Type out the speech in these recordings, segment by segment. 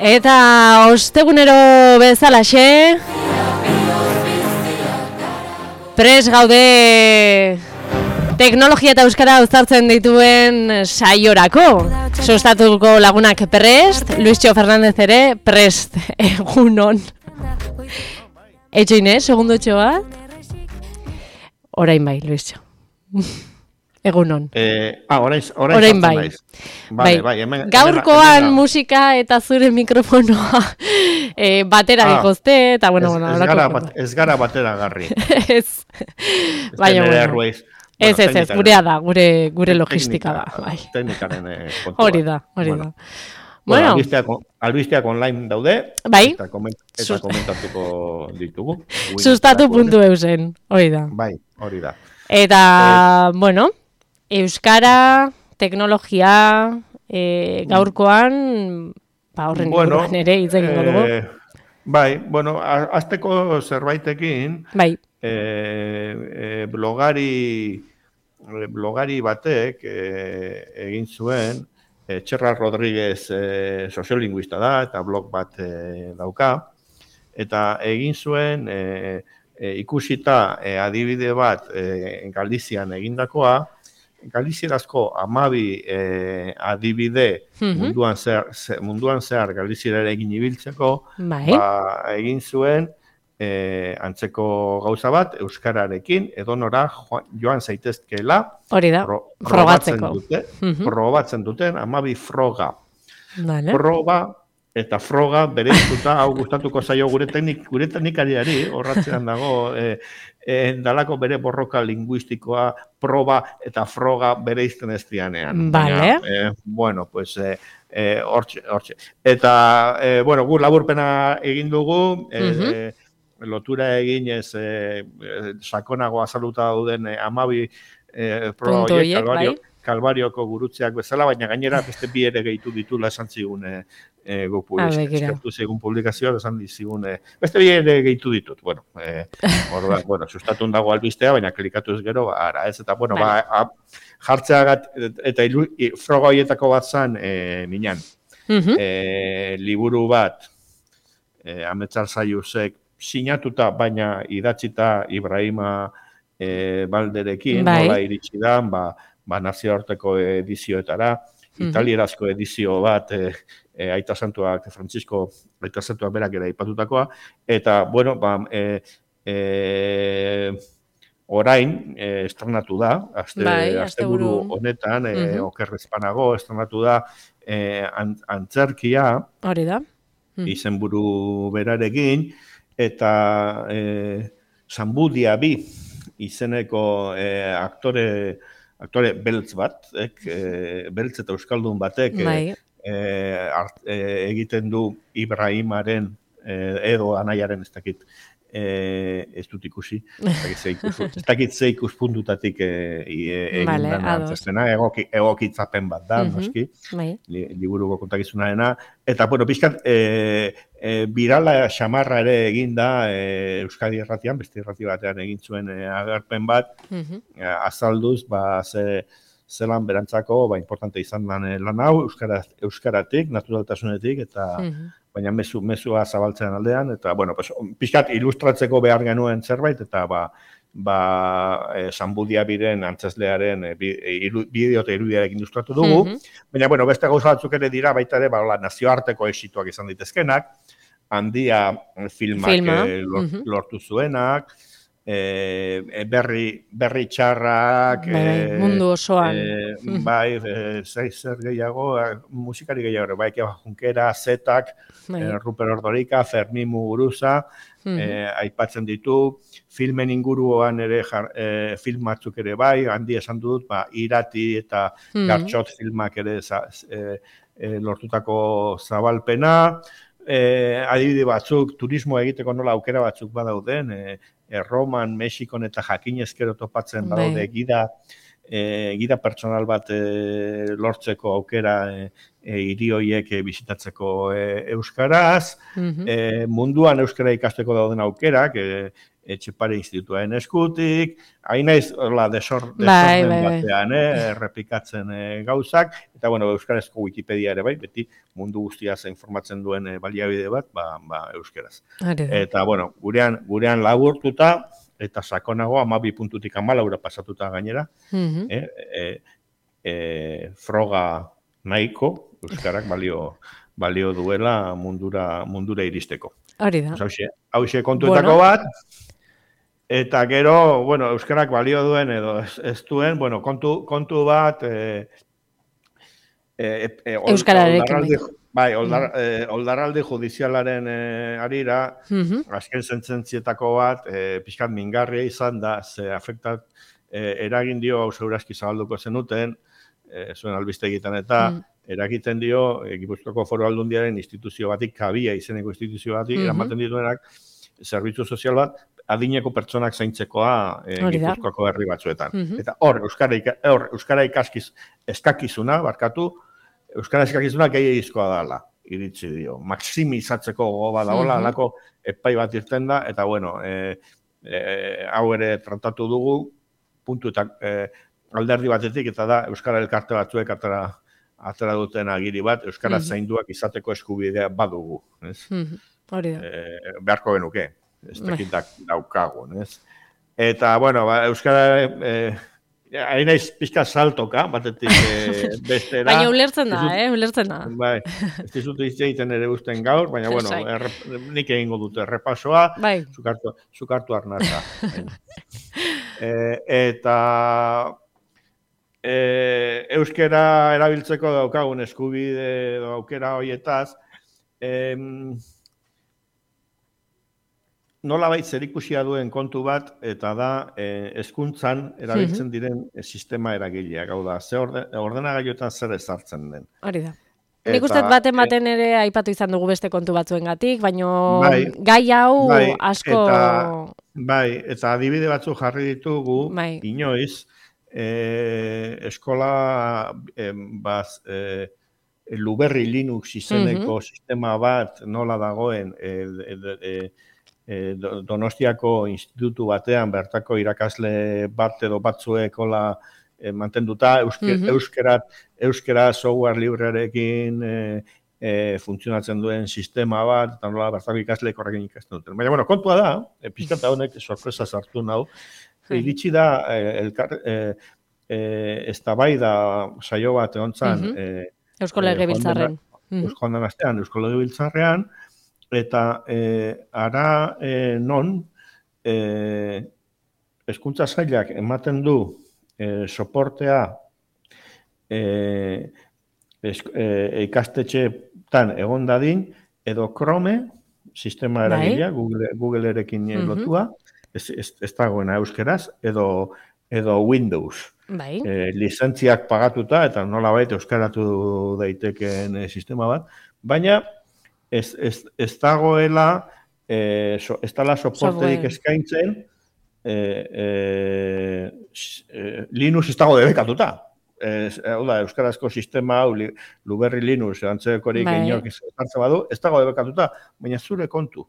Eta ostegunero bezalaxe pres gaude teknologia eta euskara uztartzen dituen saiorako. Sustatuko lagunak prest, Luisio Fernández ere prest, egunon. Etxo Inés, segundo etxo bat? Orain bai, Luisio. Egunon. Orain bai. Bai. Gaurkoan musika eta zure mikrofonoa batera dikoste, eta bueno. Ez gara batera garri. Ez. Baina, bueno. Ez, gurea da, gure logistika da. Teknikaren kontua. Hori da. Bueno, albisteak online daude, bai. Eta komentatuko ditugu. Sustatu.eusen, hori da. Bai, hori da. Eta, bueno, euskara, teknologia, gaurkoan, horren inguruan ere hitz egingo dugu. Bai, bueno, azteko zerbaitekin, bai. Blogari batek egin zuen, Txerra Rodríguez soziolinguista da, eta blog bat dauka, eta egin zuen ikusita adibide bat Galizian egindakoa, Galizierazko 12 adibide munduan zehar Galizierara egin ibiltzeko, egin zuen antzeko gauza bat euskararekin edonora joan zaitezkeela. Hori da, frogatzeko. Probatzen duten 12 froga. Proba eta froga bereiztuta, hau gustatuko zaio gure teknikariari, horratzean dago, dalako bere borroka linguistikoa, proba eta froga bereizten ez dianean. Vale. Bueno, pues, hortxe. Eta, bueno, gu laburpena egin dugu, lotura eginez sakonago azaluta dauden 12 proba horiek, Kalbarioko gurutzeak bezala, baina gainera beste bi ere gehitu ditula esan zigun eskertu zigun publikazioa, esan zigun beste bi ere gehitu ditut. Bueno, sustatun dago albistea, baina klikatu ez gero, ara ez, eta bueno, jartzeagat, eta froga horietako bat zan minan. Liburu bat, Ametsar Zaiusek, sinatuta, baina idatzita Ibrahima Balderekin, nola iritsi da, nazioarteko edizioetara, italierazko edizio bat, Aita Santuak, Francisco Aita Santuak berak ere aipatutakoa, eta, bueno, orain estrenatu da, asteburu honetan, okerrezpanago, estrenatu da antzerkia, hori da, izenburu berarekin, eta Zambudia bi izeneko aktore beltz bat, beltz eta euskaldun batek egiten du Ibrahimaren edo anaiaren ez dakit ez dut ikusi, ez dakit ze ikuspuntutatik egin dena antzestena, egokitzapen bat da, noski, liburuko kontakizunarena, eta, bueno, pixkat, birala xamarra ere egin da Euskadi Irratian, beste irrati batean egin zuen agerpen bat, azalduz, zelan berantzako, importante izan lan hau, euskaratik, naturaltasunetik, eta baina mezua zabaltzean aldean, eta, bueno, pixkat ilustratzeko behar genuen zerbait, eta, Zambudia biren antzeslearen bideo eta irudiarekin ilustratu dugu, baina, bueno, beste gauza batzuk ere dira, baita ere, nazioarteko exituak izan ditezkenak, Handia filmak lortu zuenak, berri txarrak, mundu osoan. Zer gehiago, musikari gehiago, Keba Junkera, Zetak, Ruper Ordorika, Fermin Muguruza, aipatzen ditu, filmen inguruan ere, film batzuk ere bai, handi esan dut, Irati eta Gartxot filmak ere lortutako zabalpena, adibide batzuk, turismo egiteko nola aukera batzuk badauden, Roman, Mexikon eta Jakinezkero topatzen badaude gida pertsonal bat lortzeko aukera hiri horiek bizitatzeko euskaraz, munduan euskara ikasteko dauden aukerak, Etxepare Institutuaren eskutik, hain naiz, desorden batean, errepikatzen gauzak, eta, bueno, euskarazko Wikipedia ere bai, beti mundu guztiaz informatzen duen baliabide bat, euskaraz. Eta, bueno, gurean laburtuta, eta sakonago 12 puntutik 14 pasatuta gainera, froga nahiko, euskarak balio duela mundura iristeko. Hori da. Hauxe kontuetako bat, eta gero, bueno, euskarak balio duen edo ez duen, bueno, kontu bat euskararekin. Bai, oldarralde judizialaren arira, azken sentzentzietako bat, pixkat mingarria izan da, ze afektat eragin dio, hau segurazki zabalduko zenuten, zuen albistegietan eta, eragiten dio, Gipuzkoako Foru Aldundiaren instituzio batik, kabia izeneko instituzio batik, eramaten dituenak, zerbitzu sozial bat, adineko pertsonak zaintzekoa Gipuzkoako herri batzuetan. Eta hor, euskara eskakizuna, euskara eskakizuna gehiagizkoa dela, iritsi dio. Maksimizatzeko gogo badagoela, alako epai bat irten da, eta bueno, hau ere tratatu dugu, puntu eta alderdi batetik, eta da, euskara elkarte batzuek atera duten agiri bat, euskara zainduak izateko eskubidea badugu. Hori da. Beharko genuke, ez tekitak daukagu. Eta, bueno, euskara, hain naiz pixka saltoka, batetik bestera. Baina ulertzen da, ulertzen da. Bai, ez dizut egiten ere usten gaur, baina, bueno, nik egingo dute errepasoa, zukartu arnasa. Eta euskera erabiltzeko daukagun eskubide aukera horietaz, nolabait zerikusia duen kontu bat, eta da hezkuntzan erabiltzen diren sistema eragileak, hau da, ze ordenagailuetan zer ezartzen den. Hori da. Nik uste baten ere aipatu izan dugu beste kontu batzuengatik, baina gai hau asko... Bai, eta adibide batzu jarri ditugu, inoiz, eskola Luberri Linux izeneko sistema bat nola dagoen Donostiako institutu batean bertako irakasle bat edo batzuekola mantenduta, euskera software librearekin funtzionatzen duen sistema bat, eta nola bertako ikasleek horrekin ikasten duten. Baina, bueno, kontua da, pixkata honek sorpresa sartu nau, iritsi da, eztabaida saio bat egontzan, Eusko Legebiltzarrean. Eusko Legebiltzarrean, eta ara non hezkuntza sailak ematen du soportea ikastetxeetan egon dadin, edo Chrome, sistema eragilea, Googleerekin lotua, ez dagoena euskeraz, edo Windows. Lizentziak pagatuta, eta nolabait euskaratu daitekeen sistema bat, baina ez dagoela, ez dala soporterik eskaintzen, Linux ez dago debekatuta. Hau da, euskarazko sistema, Luberri Linux, antzekorik inork izartzen badu, ez dago debekatuta, baina zure kontu.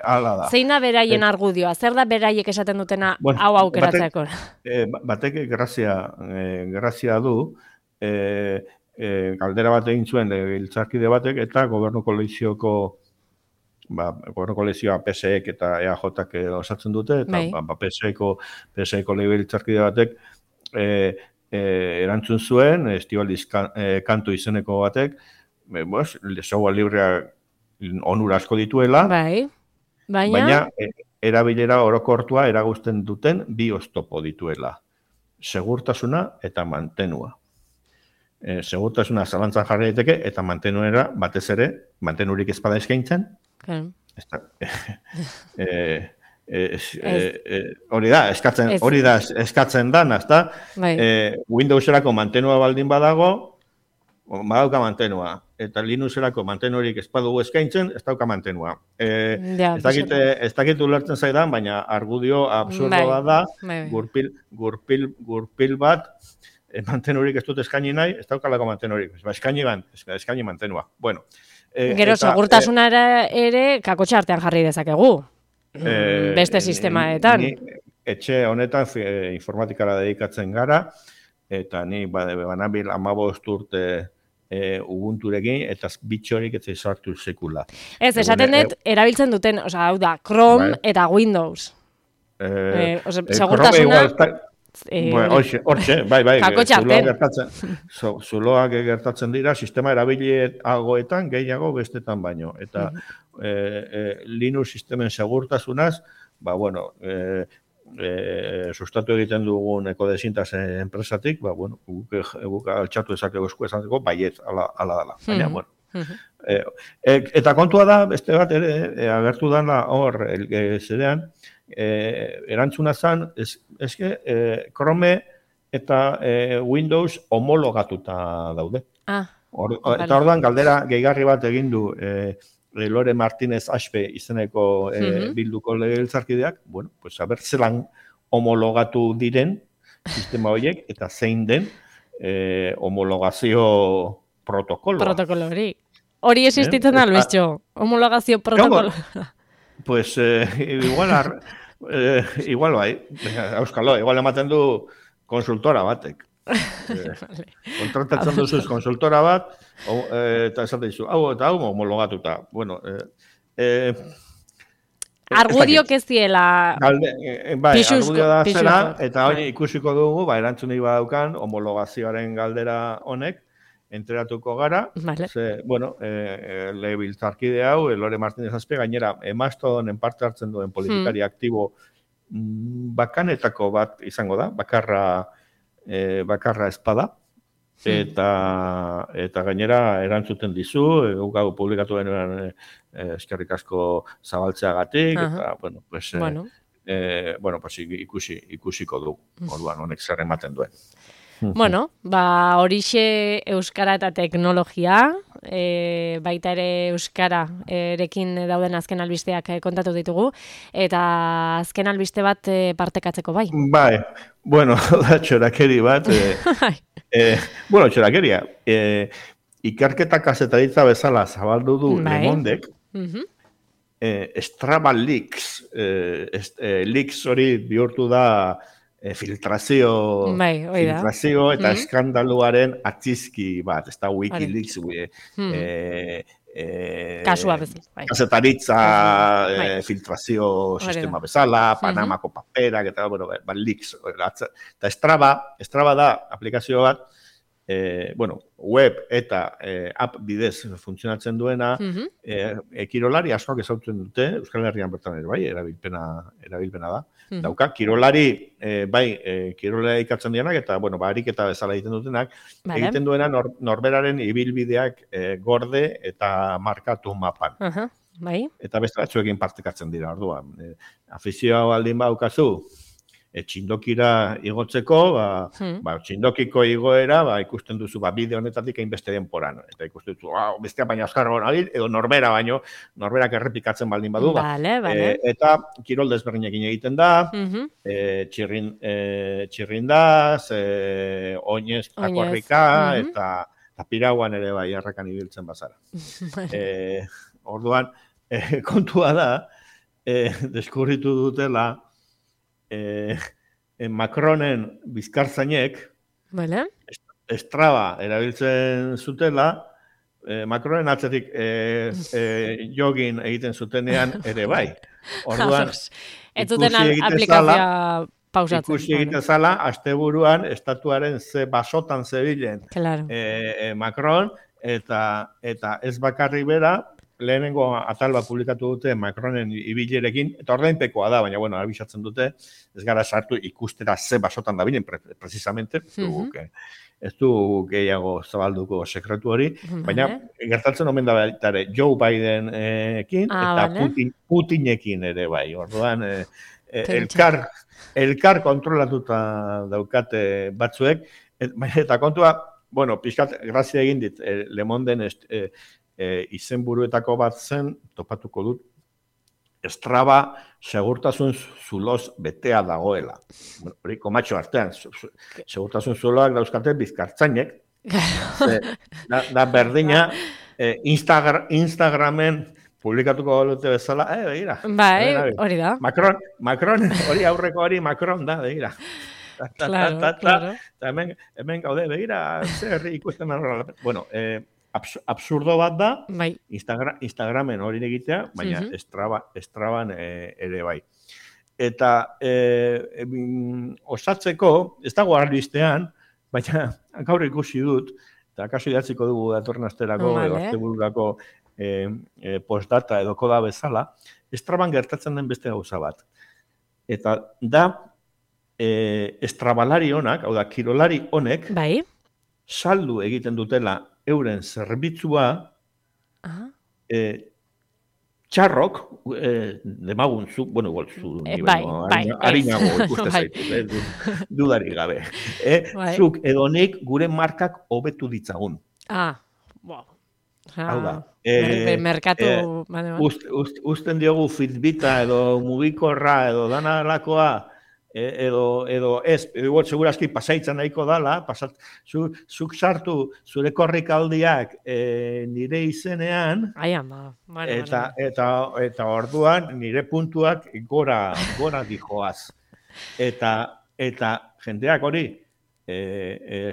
Hala da. Zein da beraien argudioa? Zer da beraiek esaten dutena hau aukeratzeko? Batek grazia du, galdera bat egin zuen legebiltzarkide batek, eta gobernu kolegioko PSEek eta EAJak osatzen dute, eta PSEeko legebiltzarkide batek erantzun zuen, Estibaliz Kantu izeneko batek, software librea onura asko dituela, baina erabilera orokortua eraguzten duten bi oztopo dituela. Segurtasuna eta mantenua. Segurtasuna zalantzan jarri daiteke eta mantenuera batez ere, mantenurik ezpada eskaintzen. Hori da, eskatzen dan, ezta? Windowserako mantenua baldin badago, badauka mantenua. Eta Linuxerako mantenurik ez badugu eskaintzen, ez dauka mantenua. Ez dakit ulertzen zaidan, baina argudio absurdo bat da, gurpil bat, mantenurik ez dut eskaini nahi, ez daukalako mantenurik. Eskaini mantenua. Bueno. Gero, segurtasuna ere kakotxa artean jarri dezakegu. beste sistemaetan. Etxe honetan informatikara dedikatzen gara, eta ni banabil 15 urte Ubunturekin, eta bitxorik ez sartu sekula. Ez, esaten dut, erabiltzen duten, hau da, Chrome eta Windows. Segurtasuna... Hortxe, bai, zuloak gertatzen dira, sistema erabiliagoetan, gehiago bestetan baino. Eta Linux sistemen segurtasunaz, sustatu egiten dugun ekodesintas enpresatik, guk altxatu ezakegu esku esateko, baiet, ala dala. Baina, eta kontua da, beste bat ere, agertu dana hor, zerean, erantzuna zen, eske Chrome eta Windows homologatuta daude. Eta orduan galdera gehigarri bat egin du Lore Martínez Aspe izeneko bilduko legebiltzarkideak, a ber zelan homologatu diren sistema horiek eta zein den homologazio protokolo. Protokolo hori. Hori existitzen da, Luisjo, homologazio protokolo. Pues igual bai, auskalo, igual ematen du konsultora batek. Kontratatzen duzuz konsultora bat, eta esaten dizu, hau homologatuta. Bueno, argudiok ez diela argudio da zela, eta hori ikusiko dugu, erantzun nahi badaukan, homologazioaren galdera honek, enteratuko gara, legebiltzarkide hau, Lore Martínez Aspe, gainera, Mastodonen parte hartzen duen politikari aktibo bakanetako bat izango da, bakarra espada, eta gainera erantzuten dizu, gau publikatu denuen eskerrik asko zabaltzeagatik, eta, ikusiko du, orduan honek zer ematen duen. Bueno, horixe euskara eta teknologia, baita ere euskara erekin dauden azken albisteak kontatu ditugu, eta azken albiste bat partekatzeko bai. Bai, da txorakeri bat, txorakeria, ikerketa kazetaritza bezala zabaldu du Lemondek, Strava Leaks, leaks hori bihurtu da filtrazio eta eskandaluaren atzizki bat, ez da Wikileaks, kasua bezala. Kazetaritza filtrazio sistema bezala, Panamako paperak, eta leaks. Eta Strava da aplikazio bat, web eta app bidez funtzionatzen duena, kirolari askoak ezautzen dute, Euskal Herrian bertan ere bai, erabilpena da. Dauka, kirolari, kirolari ikatzen dianak, eta, ariketa bezala egiten dutenak, egiten duena norberaren ibilbideak gorde eta markatu mapan. Eta beste batzuekin partekatzen dira, orduan. Afizioa baldin baukazu, txindokira igotzeko, txindokiko igoera, ikusten duzu, bide honetatik hainbeste denporan. Eta ikusten duzu, bestea baina azkarra hori, edo norbera baino, norberak errepikatzen baldin badu. Eta kirol desberdinekin egiten da, txirrindaz, oinez, takorrika, eta pirauan ere bai, errakan ibiltzen bazara. Orduan, kontua da, deskurritu dutela, Macronen bizkartzainek Strava erabiltzen zutela, Macronen atzetik jogin egiten zutenean ere bai. Orduan, ikusi egiten zala, asteburuan estatuaren ze basotan zebilen Macron, eta ez bakarrik bera, lehenengo atal bat publikatu dute Macronen ibilerekin, eta ordainpekoa da, baina, abisatzen dute, ez gara sartu ikustera ze basotan da binen, precisamente, ez du gehiago zabalduko sekretu hori, baina gertatzen omen da baitare Joe Bidenekin eta Putinekin ere bai, orduan, elkar kontrolatuta daukate batzuek, eta kontua, pixkat, grazia egin dit, Le Monden izenburuetako bat zen, topatuko dut, Strava segurtasun zuloz betea dagoela. Hori, komatxo artean, segurtasun zuloak dauzkate bizkartzainek. Da berdina, Instagramen publikatuko balute bezala, begira. Bai, hori da. Macron, hori aurreko hori Macron da, begira. Claro. Eta hemen gaude, begira, zer ikusten horrela. Bueno, absurdo bat da, bai. Instagramen hori egitea, baina Straban ere bai. Eta osatzeko, ez dago arlistean, baina gaur ikusi dut, eta kaso idatziko dugu datorren asterako, edo astebururako postdata edo koda bezala, Straban gertatzen den beste gauza bat. Eta da, estrabalari honak, hau da, kirolari honek, bai. saldu egiten dutela euren zerbitzua, txarrok, demaguntzu, bueno, igual zu, harinago ikuste zaitu, dudari gabe. Zuk edonik gure markak hobetu ditzagun. Wow. Hau da. Merkatu... Usten diogu Fitbita edo mugikorra edo dana lakoa, edo ez, igual segurazki pasaitzan nahiko dala, zuk sartu zure korrikaldiak nire izenean, eta orduan nire puntuak gora dijoaz. Eta jendeak hori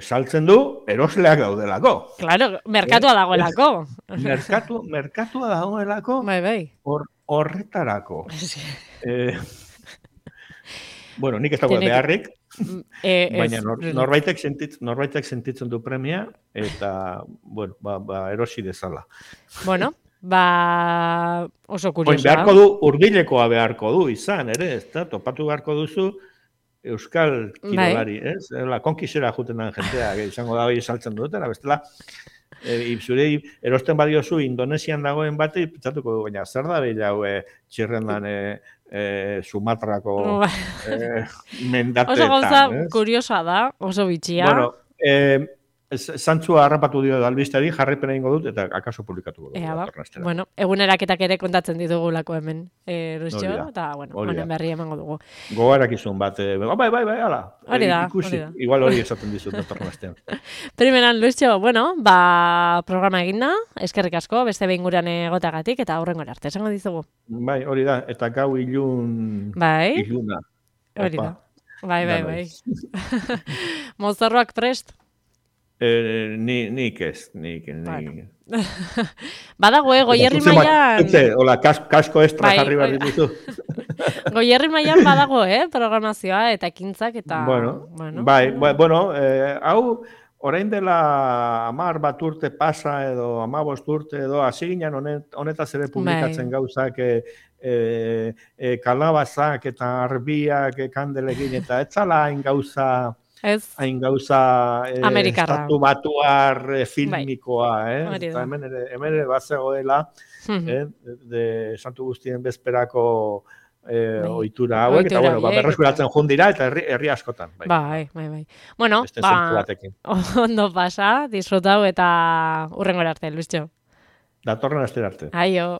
saltzen du, erosleak daudelako. Claro, merkatua dagoelako. Merkatua dagoelako, horretarako. Bueno, nik ez dago beharrik, baina norbaitek sentitzen du premia, eta, bueno, erosi dezala. Bueno, oso kuriosa. Beharko du, urbilekoa beharko du izan, ere, ez da, topatu beharko duzu euskal kirolari, ez? Konkisera juten den jentea, izango da hori saltzen dutela, bestela, zure erosten badiozu Indonesian dagoen bati, pentsatuko du, baina zer da behila txirrendan Sumatrako mendateetan. Oso gauza kuriosa da, oso bitxia. Bueno, zantzua harrapatu dio albistari, jarripena ingo dut, eta akaso publikatuko dut. Bueno, eguneraketak ere kontatzen ditugulako hemen, Rusio, eta, bueno, honen berri emango dugu. Gogarak izun bat, bai, ala. Hori da. Igual hori esaten dizut datorren astean. Primeran, Rusio, bueno, programa eginda, eskerrik asko, beste behin gurean egotagatik, eta aurrengora arte, esango dizugu. Bai, hori da, eta gau iluna. Hori da. Bai. Mozorroak prest? Nik ez. Badago, Goierri mailan... Hola, kasko estra jarri behar dituzu. Goierri mailan badago, programazioa eta ekintzak eta... Bueno, hau, orain dela 10 bat urte pasa edo 15 urte edo, hasi ginen honetaz ere publikatzen gauzak kalabazak eta arbiak kandelekin, eta ez zala hain gauza... hain gauza estatu batuar filmikoa, eta hemen ere bazegoela, Santu Guztien bezperako ohitura hauek, eta berreskuratzen joan dira, eta herri askotan. Bai. Bueno, ondo pasa, disfrutau eta hurrengora arte, Luistxo. Datorren astera arte. Aio.